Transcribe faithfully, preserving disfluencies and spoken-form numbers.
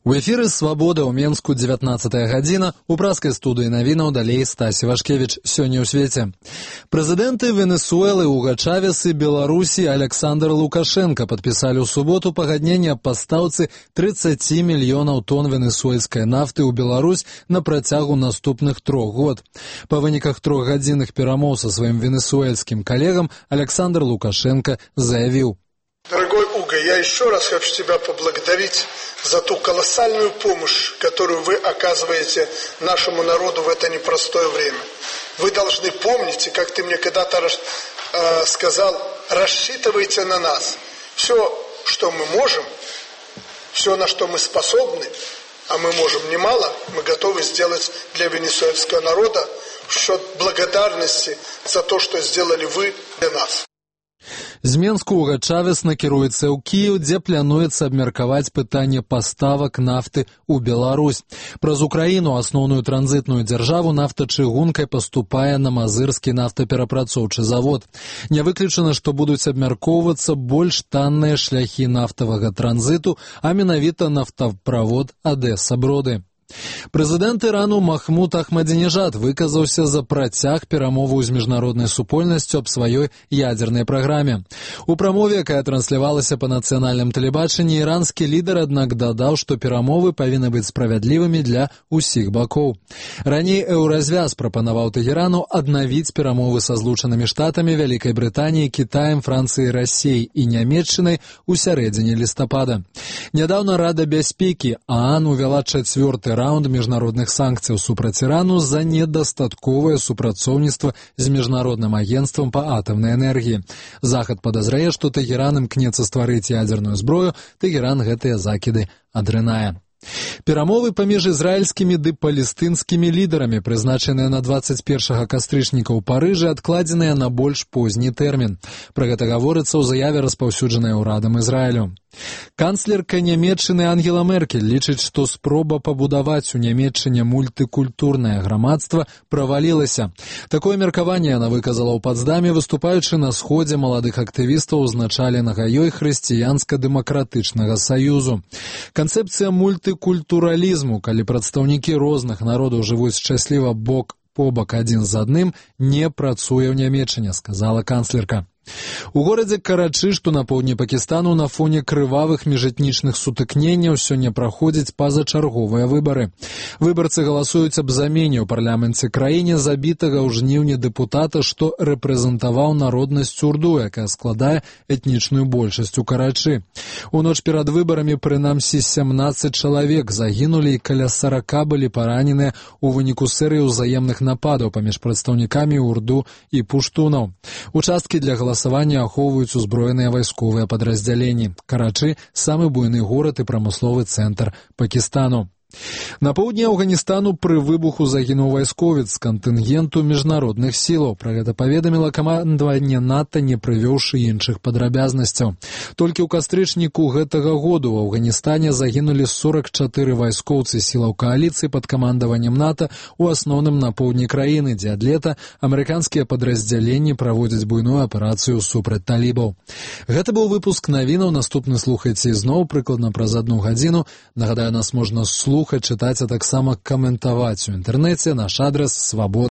У эфіры «Свабода» ў Менску дзевятнаццатая гадзіна. У праскай студыі навінаў далей Стасі Вашкевіч. Сёння ў свеце. Прэзідэнты Венесуэлы, Уга Чавес і Беларусі Александр Лукашенко падпісалі ў суботу пагадненне аб пастаўцы тридцать мільёнаў тонн венесуэльскай нафты ў Беларусь на працягу наступных трох год. Па выніках трохгадзінных перамоў са сваім венесуэльскім калегам Александр Лукашенко заявіў: Дорогой Уга, я еще раз хочу тебя поблагодарить за ту колоссальную помощь, которую вы оказываете нашему народу в это непростое время. Вы должны помнить, и как ты мне когда-то э, сказал, рассчитывайте на нас. Все, что мы можем, все, на что мы способны, а мы можем немало, мы готовы сделать для венесуэльского народа в счет благодарности за то, что сделали вы для нас. З Менску Уга Чавес накіруецца ў Кіеў, дзе плануецца абмеркаваць пытанне паставак нафты ў Беларусь. Праз Украіну, асноўную транзітную дзяржаву, нафта чыгункай паступае на мазырскі нафтаперапрацоўчы завод. Не выключана, што будуць абмяркоўвацца больш танныя шляхі нафтавага транзіту, а менавіта нафтаправод Адэса-Броды. Прэзідэнт Ірану Махмуд Ахмадзінежад выказаўся за працяг перамоваў з міжнароднай супольнасцю аб сваёй ядзернай праграме. У прамове, якая транслявалася па нацыянальным тэлебачанні, іранскі лідар, аднак, дадаў, што перамовы павінны быць справядлівымі для ўсіх бакоў. Раней Еўразвяз прапанаваў Тэхерану аднавіць перамовы са Злучанымі Штатамі, Вялікай Брытаніяй, Кітаем, Францыяй, Расіяй і Нямецчынай у сярэдзіне лістапада. Нядаўна Рада бяспекі ААН увяла чацвёрты раунд міжнародных санкцыяў супраць Ірану за недастатковае супрацоўніцтва з міжнародным агенцтвам па атамнай энергіі. Захад падазрае, што Тэхеран імкнецца стварыць ядзерную зброю, Тэхеран гэтыя закіды адрынае. Перамовы паміж ізраільскімі ды палестынскімі лідарамі, прызначаныя на двадцать першага кастрычніка ў Парыжы, адкладзеныя на больш позні тэрмін. Пра гэта гаворыцца ў заяве, распаўсюджанай урадам Ізраілю. Канцлерка Нямецчыны Ангела Меркель лічыць, што спроба пабудаваць у Нямецчыне мультыкультурнае грамадства правалілася. Такое меркаванне яна выказала ў Пацдаме, выступаючы на сходзе маладых актывістаў, узначаленага ёй хрысціянска-дэмакратычнага саюзу. Канцэпцыя мультыкультуралізму, калі прадстаўнікі розных народаў жывуць шчасліва бок побак адзін з адным, не працуе ў Нямецчыне, сказала канцлерка. У горадзе Карачы, што на поўдні Пакістану, на фоне крывавых міжэтнічных сутыкненняў сёння праходзяць пазачарговыя выбары. Выбарцы галасуюць аб замене ў парламенце краіне забітага ў жніўні дэпутата, што рэпрэзентаваў народнасць урду, якая складае этнічную большасць у Карачы. У ноч перад выбарамі прынамсі сямнаццаць чалавек загінулі і каля сарака былі параненыя ў выніку серыі ўзаемных нападаў паміж прадстаўнікамі урду і пуштунаў. Участкі для галасавання Галасаванне ахоўваюць узброеныя вайсковыя падраздзяленні. Карачы – самы буйны горад і прамысловы цэнтр Пакістану. На поўдні Афганістану пры выбуху загінуў вайсковец з кантынгенту міжнародных сілаў. Пра гэта паведаміла камандаванне НАТО, не прывёўшы іншых падрабязнасцяў. Толькі ў кастрычніку гэтага году ў Афганістане загінулі сорок чатыры вайскоўцы сілаў кааліцыі пад камандаваннем НАТО, у асноўным на поўдні краіны, дзе ад лета амерыканскія падраздзяленні праводзяць буйную аперацыю супраць талібаў. Гэта быў выпуск навінаў. Наступны слухайце ізноў прыкладна праз адну гадзіну. Нагадаю, нас можна слухаць, чытаць, а таксама каментаваць у інтэрнэце. Наш адрас свабода.